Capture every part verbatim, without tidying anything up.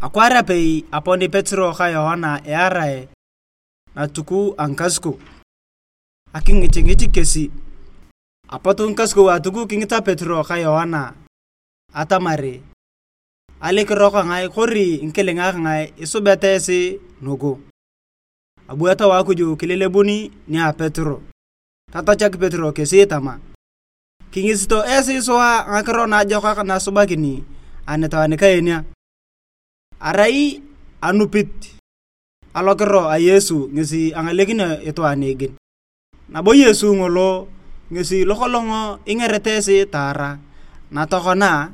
Akwaar apei aponi Petero ka Yoana earae natuku a ngikasukou, akingicingich kesi. Apot ngikasukou a atuku kingita Petero ka Yoana atamar, "Alikiro kangae kori ngikilinga kangae isubeta esi nugu?" Abu Etau a Akuj kilelebun nia Petero. Tatachak Petero kesi tama, "Kingisito esi sua ngakiro naajokak nasubakini anitwaan kaenia. Arai anupit alokiro a Yesu ngesi angalekinio itwaan nigin. Nabo Yesu ngolo ngesi lokolong ingerete esi taara, na tokona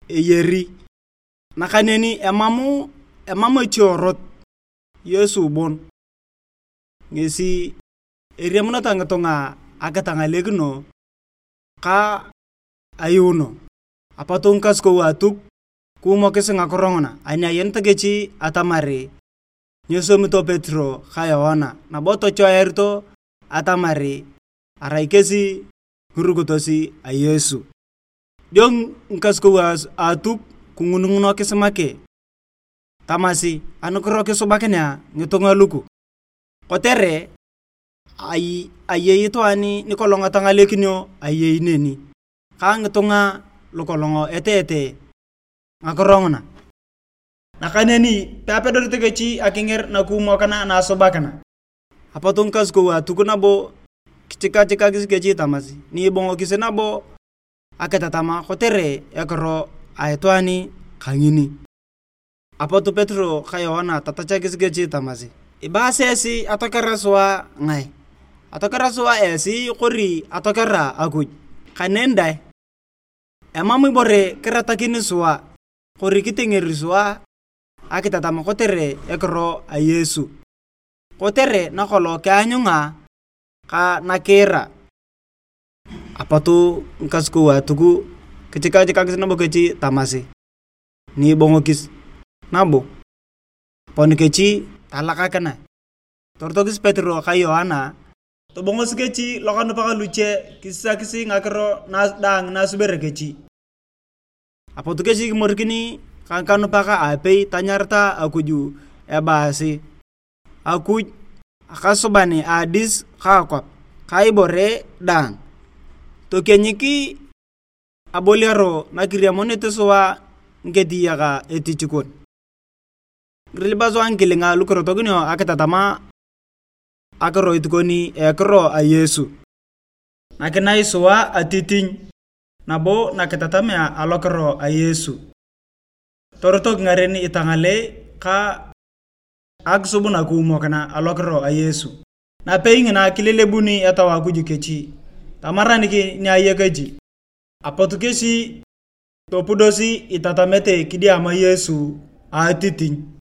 eyari. Nakaneni emam, emam echiorot Yesu bon. Ngesi eriamuneta ngitunga akitangalekino ka ayuuno." Apot ngikasukou a Atuk kiumokis ngakiro nguna ani ayeneta kech atamar nyesomito Petero ka Yoana, nabo tochoearito atamar arai kesi ngirukitos a Yesu. Dio ngikasukou a Atuk kingunungunokis make tamasi, "Anukiro kisubakinea ngitunga luku? Kotere ai-, ayei itwaan nikolong etangalekinio ayei neni, ka ngitunga lukolong eteete ngakiro nguna. Nakaneni peapedorit kech akinger nakiumokina naasubakina." Apot ngikasukou a Atuk nabo kichikachikakis kech tamasi, "Ni ibongokis nabo akitatam kotere ekiro a itwaan kangini?" Apot Petero ka Yoana tatachakis kech tamasi, "Ibaasi esi atokera sua ngae? Atokera sua esi kori atokera Akuj? Kaneni dai, emam ibore kiratakin sua kori kitingeri sua akitatam kotere ekiro a Yesu, kotere nakolong kianyunga ka nakiira." Apot ngikasukou a Atuk kichikachikakis nabo kech tamasi, "Ni ibongokis nabo, aponi kech talakakinae." Torotokis Petero ka Yoana, tobongosi kech lokanupak luche kisisakis ngakiro na-, daang nasubere kech. Apot kech kimorikin ka ngikanupak aapei tanyarata Akuj ebaasi, "Akuj, akasuban a adis ka akwap ka ibore daang, tokienyik aboliaro nakiriamonit sua ngiketiyaka etich kon." Kirilipa sua ngikilinga lukirotokinio akitatam akiroit kon a ekiro a Yesu. Nakinae sua atitiny nabo nakitatamea alokiro a Yesu. Torotok ngaren itangalei ka akisub nakiumokina alokiro a Yesu. Napei ngina kilelebuni Etau a Akuj kech, tamaranik ni aya kech. Apot kesi topudosi itatamete kidiama Yesu a atitiny.